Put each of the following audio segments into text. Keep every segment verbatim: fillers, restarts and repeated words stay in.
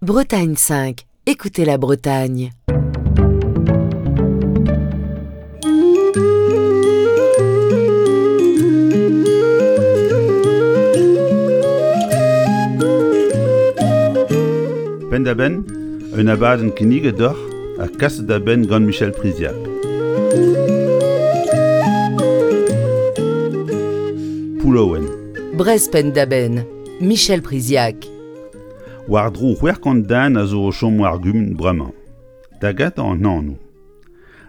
Bretagne cinq, écoutez la Bretagne. Penn-da-benn, un abadenn kinniget deoc'h ha kaset da benn gant Michel Priziac. Poullaouen. Brest penn-da-benn, Michel Priziac. War-dro c'hwec'h kant den a zo o chom war gumun bremañ. Da gentañ an anv.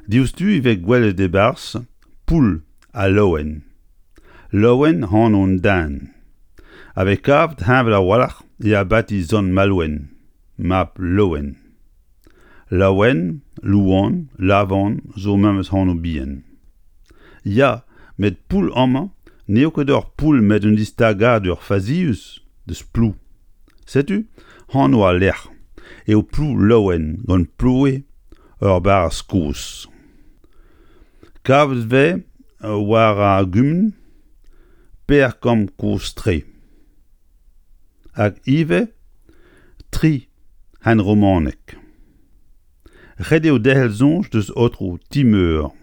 Diouzhtu e vez gwelet e-barzh Poull ha Laouen. Laouen anv an den. A vez kavet heñvel a-walc'h e abati Sant Malouen, mab Laouen. Laouen, Louan, Lavan zo memes anv bihan. Ya, met Poull amañ n'eo ket ur poull met un distagadur fazius deus Plou. Setu anv al lec'h eo Plou-Laouen gant ploue ur barrez kozh. Kavet vez war ar gumun per kambr kozh-tre. Hag ivez tri henromanek. Ret eo derc'hel soñj deus aotrou Timeur.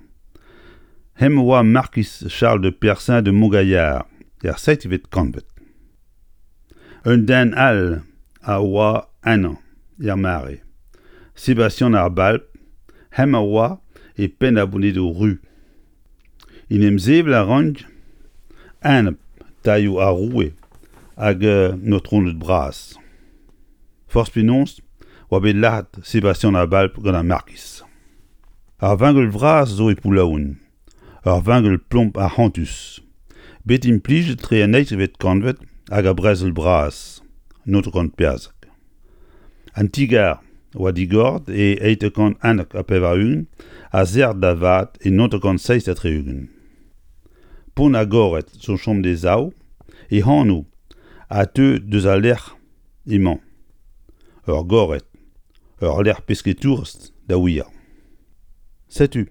Hemañ oa markiz Charles de Percin de Montgaillard er seizhvet kantved. Un den all a oa ennañ er mare. Sebastian ar Balp, hemañ oa e penn ar Bonedoù Ruz. En em sevel a rank enep tailhoù ar roue hag an aotroned bras. Forzh penaos oa bet lazhet Sebastian ar Balp gant ar markiz. Ar vengel vras zo e Poullaouen, ur vengel plomb arc'hantus, bet implijet tre an eizhvet kantved hag ar brezel bras, naontek kant perzek. An ti-gar oa digoret e eizh kant unnek ha pevar-ugent ha serret da vat e naontek kant seizh ha tri-ugent. Pont ar Gored zo chom d'e sav, e anv a teu deus al lec'h emañ. Ur gored, ur lec'h pesketourez da wir. Setu,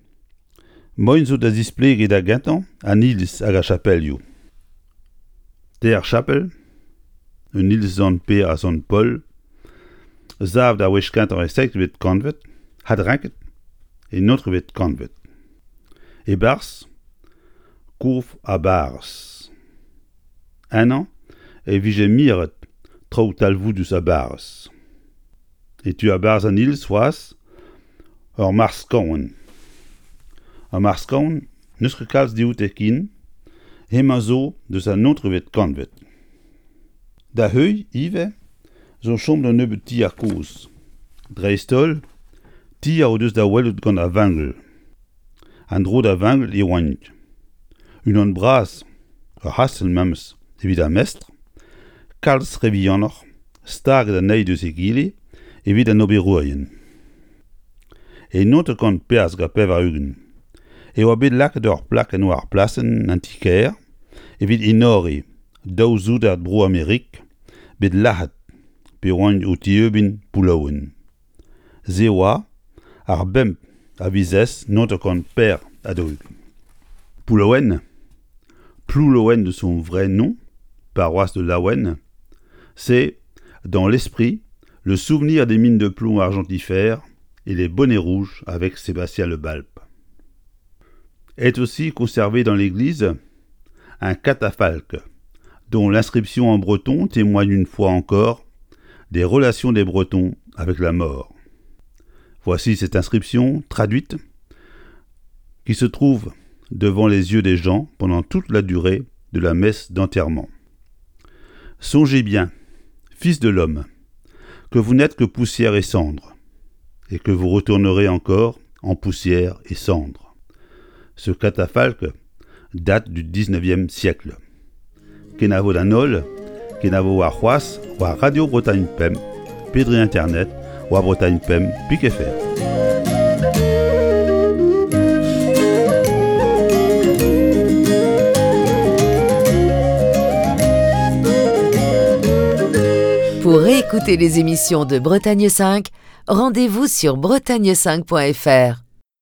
moaien zo da zisplegiñ da gentañ an iliz hag ar chapelioù. Teir chapel, un iliz Sant Pêr ha Sant Paol, savet ar wech kentañ e seizhvet kantved, adrenket e naontekvet kantved. E-barzh, kof ha barrez. Ennañ e vije miret traoù talvoudus a-barrez. E tu a-barzh an iliz c'hoazh, ur marc'h-skaon. Ar marc'h-skaon n'eus ket kalz dioute ken, hemañ zo deus an naontekvet kantved. Da heuilh ivez zo chom un nebeud tier kozh. Dreist-holl, tier o deus da welout gant ar vengel. An dro da vengel e oant. Unan bras, ur c'hastell memes evit ar mestr, kalz re vihanoc'h, staget an eil deus egile evit an oberourien. E naontek kant perzek ha pevar-ugent e oa bet lakaet ur plakenn war plasenn an ti-kêr evit enoriñ daou soudard Bro-Amerik bet lazhet pe oant o tieubin Poullaouen. Se oa ar bemp a viz naontek kant per ha daou-ugent. Poullaouen, Ploulouen de son vrai nom, paroisse de Laouen, c'est, dans l'esprit, le souvenir des mines de plomb argentifères et les bonnets rouges avec Sébastien Le Balp. Est aussi conservé dans l'église un catafalque, dont l'inscription en breton témoigne une fois encore des relations des Bretons avec la mort. Voici cette inscription traduite qui se trouve devant les yeux des gens pendant toute la durée de la messe d'enterrement. Songez bien, fils de l'homme, que vous n'êtes que poussière et cendre, et que vous retournerez encore en poussière et cendre. Ce catafalque date du dix-neuvième siècle. Kenavo d'an holl, kenavo war c'hoazh, war Radio Bretagne Pemp, pe dre internet, war Bretagne Pemp, pik F R. Pour réécouter les émissions de Bretagne cinq, rendez-vous sur bretagne cinq point F R.